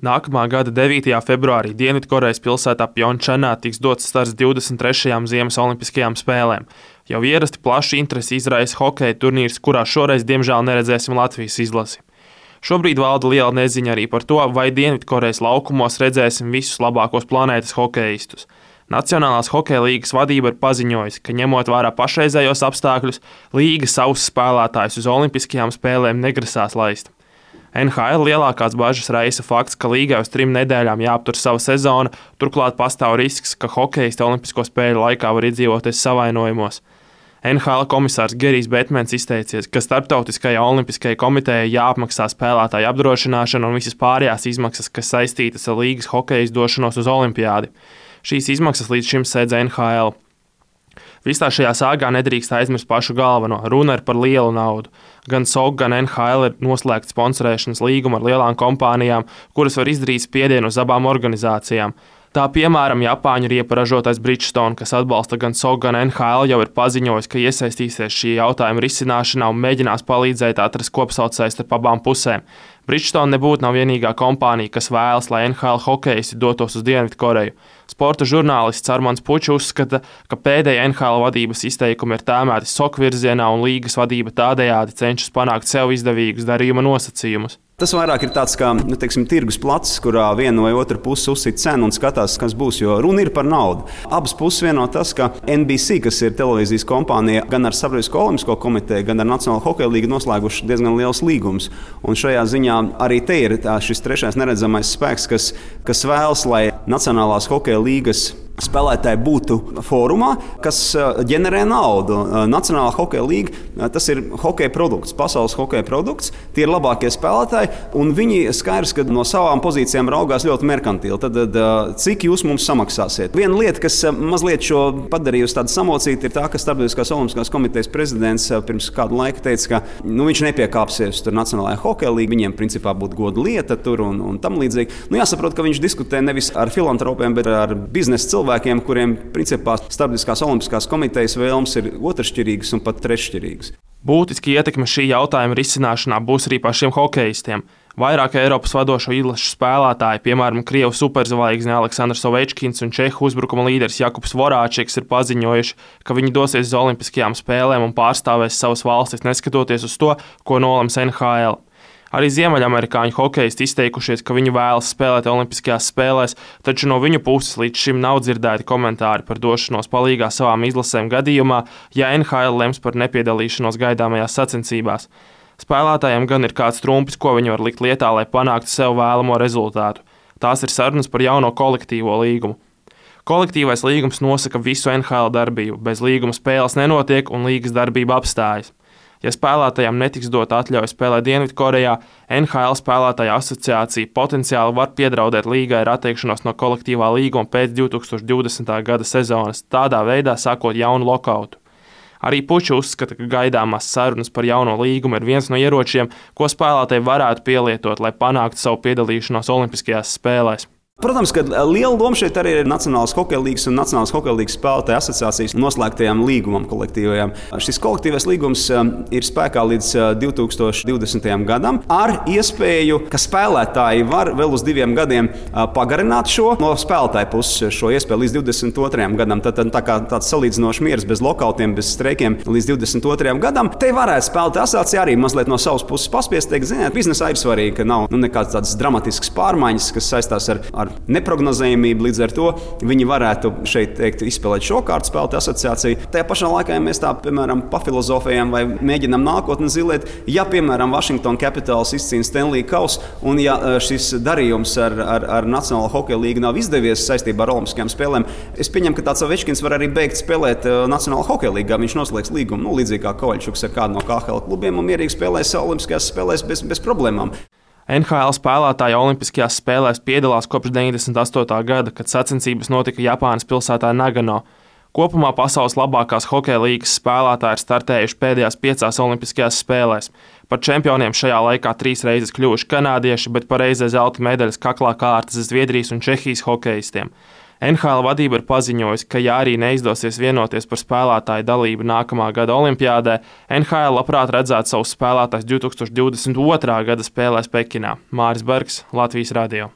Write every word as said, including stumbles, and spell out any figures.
Nākamā gada devītajā februārī Dienvidkorejas pilsētā Pjončanā tiks dots starts divdesmit trešajām Ziemas olimpiskajām spēlēm. Jau ierasti plašu interesi izraisa hokeja turnīrs, kurā šoreiz diemžēl neredzēsim Latvijas izlasi. Šobrīd valda liela neziņa arī par to, vai Dienvidkorejas laukumos redzēsim visus labākos planētas hokeistus. Nacionālās hokeja līgas vadība ir paziņojusi, ka ņemot vērā pašreizējos apstākļus, līga savus spēlētājus uz olimpiskajām spēlēm negrasās laist. N H L lielākās bažas raisa fakts, ka līgai uz trim nedēļām jāaptur sava sezona, turklāt pastāv risks, ka hokeisti olimpisko spēļu laikā var iedzīvoties savainojumos. N H L komisārs Gerijs Betmens izteicies, ka Starptautiskajai olimpiskajai komitejai jāapmaksā spēlētāju apdrošināšana un visas pārējās izmaksas, kas saistītas ar līgas hokeja izdošanos uz olimpiādi. Šīs izmaksas līdz šim sēdz N H L. Visā šajā sāgā nedrīkst aizmirst pašu galveno. Runa ir par lielu naudu. Gan S O K, gan N H L ir noslēgts sponsorēšanas līgumu ar lielām kompānijām, kuras var izdarīt spiedienu uz abām organizācijām. Tā piemēram Japāņu riepa ražotājs Bridgestone, kas atbalsta gan S O K, gan N H L, jau ir paziņojis, ka iesaistīsies šī jautājuma risināšanā un mēģinās palīdzēt atrast kopsaucēju starp abām pusēm. Bridgestone nebūtu nav vienīgā kompānija, kas vēlas, lai N H L hokeisti dotos uz Dienvidkoreju. Sporta žurnālists Armands Pučs uzskata, ka pēdējie N H L vadības izteikumi ir tēmēti S O K virzienā un līgas vadība tādējādi cenšas panākt sev izdevīgus darījuma nosacījumus. Tas vairāk ir tāds kā nu, teiksim, tirgus placis, kurā viena vai otra puse uzsit cenu un skatās, kas būs, jo runa ir par naudu. Abas puses vieno tas, ka N B C, kas ir televīzijas kompānija, gan ar Starptautisko olimpisko komiteju, gan ar Nacionālo hokeja līgu noslēguši diezgan liels līgums. Un šajā ziņā arī te ir tā, šis trešais neredzamais spēks, kas, kas vēlas, lai Nacionālās hokeja līgas spēlētāji būtu fórumā, kas ģenerē naudu. Nacionālā hokeja līga, tas ir hokeja produkts, pasaules hokeja produkts, tie ir labākie spēlētāji, un viņi skaidrs, ka no savām pozīcijām raugās ļoti merkantili. Tad, tad cik jūs mums samaksāsiet? Viena lieta, kas mazliet šo padarījusi tādu samocītu, ir tā, ka Starptautiskās olimpiskās komitejas prezidents pirms kādu laiku teica, ka nu, viņš nepiekāpsies tur Nacionālajā hokeja līgā, viņiem principā būtu goda lieta tur un, un tam līdzīgi. Nu, jāsaprot, ka viņš diskutē nevis ar filantropiem, bet ar biznesa cilvēkiem, kuriem principā Starptautiskās olimpiskās komitejas vēlmes ir otršķirīgas un pat treššķirīgas. Būtiski ietekme šī jautājuma risināšanā būs arī pašiem hokeistiem. Vairāk Eiropas vadošo izlašu spēlētāji, piemēram, Krievu superzvaigzne Aleksandrs Ovečkins un Čehu uzbrukuma līderis Jakubs Vorāčiks ir paziņojuši, ka viņi dosies uz olimpiskajām spēlēm un pārstāvēs savas valstis, neskatoties uz to, ko nolems N H L. Arī ziemeļamerikāņu hokeisti izteikušies, ka viņi vēlas spēlēt olimpiskajās spēlēs, taču no viņu puses līdz šim nav dzirdēti komentāri par došanos palīgā savām izlasēm gadījumā, ja N H L lems par nepiedalīšanos gaidāmajās sacensībās. Spēlētājiem gan ir kāds trumpis, ko viņi var likt lietā, lai panāktu sev vēlamo rezultātu. Tās ir sarunas par jauno kolektīvo līgumu. Kolektīvais līgums nosaka visu N H L darbību, bez līguma spēles nenotiek un līgas darbība apstājas. Ja spēlētājiem netiks dota atļauja spēlēt Dienvidkorejā, N H L spēlētāja asociācija potenciāli var piedraudēt līgai ar atteikšanos no kolektīvā līguma pēc divi tūkstoši divdesmitā gada sezonas, tādā veidā sākot jaunu lokautu. Arī Pučs uzskata, ka gaidāmās sarunas par jauno līgumu ir viens no ieročiem, ko spēlētāji varētu pielietot, lai panāktu savu piedalīšanos Olimpiskajās spēlēs. Protams, ka liela loma šeit arī ir Nacionālās hokeja līgas un Nacionālās hokeja līgas spēlētāju asociācijas noslēgtajām līgumam kolektīvajām. Šis kolektīvais līgums ir spēkā līdz divi tūkstoši divdesmitajam gadam ar iespēju, ka spēlētāji var vēl uz diviem gadiem pagarināt šo no spēlētāju puses šo iespēju līdz divdesmit otrajam gadam. Tad tā kā tāds salīdzinošs miers bez lokautiem, bez streikiem līdz divdesmit otrajam gadam. Te varētu spēlētāju asociācija arī mazliet no savas puses paspiest, teikt, ziniet, biznesā ir svarīgi, ka nav nu, nekāds tāds dramatisks pārmaiņas, kas saistās ar, ar neprognozējumību, līdz ar to viņi varētu šeit teikt, izspēlēt šo kārtu spēlētāju asociāciju. Tajā pašā laikā, ja mēs tā, piemēram, pafilozofējam vai mēģinam nākotni zilēt, ja, piemēram, Washington Capitals izcīna Stanley kausu un ja šis darījums ar, ar, ar Nacionālo hokeja līgu nav izdevies saistībā ar Olimpiskajām spēlēm, es pieņemu, ka tāds Ovečkins var arī beigt spēlēt Nacionālo hokeja līgā. Viņš noslēgs līgumu, nu, līdzīgi kā Kovaļčuks ar kādu no K H L klubiem un mierīgi spēlēs Olimpiskajās spēlēs bez, bez problēmām. N H L spēlētāji Olimpiskajās spēlēs piedalās kopš deviņdesmit astotā gada, kad sacensības notika Japānas pilsētā Nagano. Kopumā pasaules labākās hokeja līgas spēlētāji ir startējuši pēdējās piecās Olimpiskajās spēlēs. Par čempioniem šajā laikā trīs reizes kļuvuši kanādieši, bet par reizē zelta medaļas kaklā kārtas Zviedrijas un Čehijas hokeistiem. N H L vadība ir paziņojusi, ka ja arī neizdosies vienoties par spēlētāju dalību nākamā gada olimpiādē, N H L labprāt redzētu savus spēlētājus divi tūkstoši divdesmit otrā gada spēlēs Pekinā. Māris Bergs, Latvijas radio.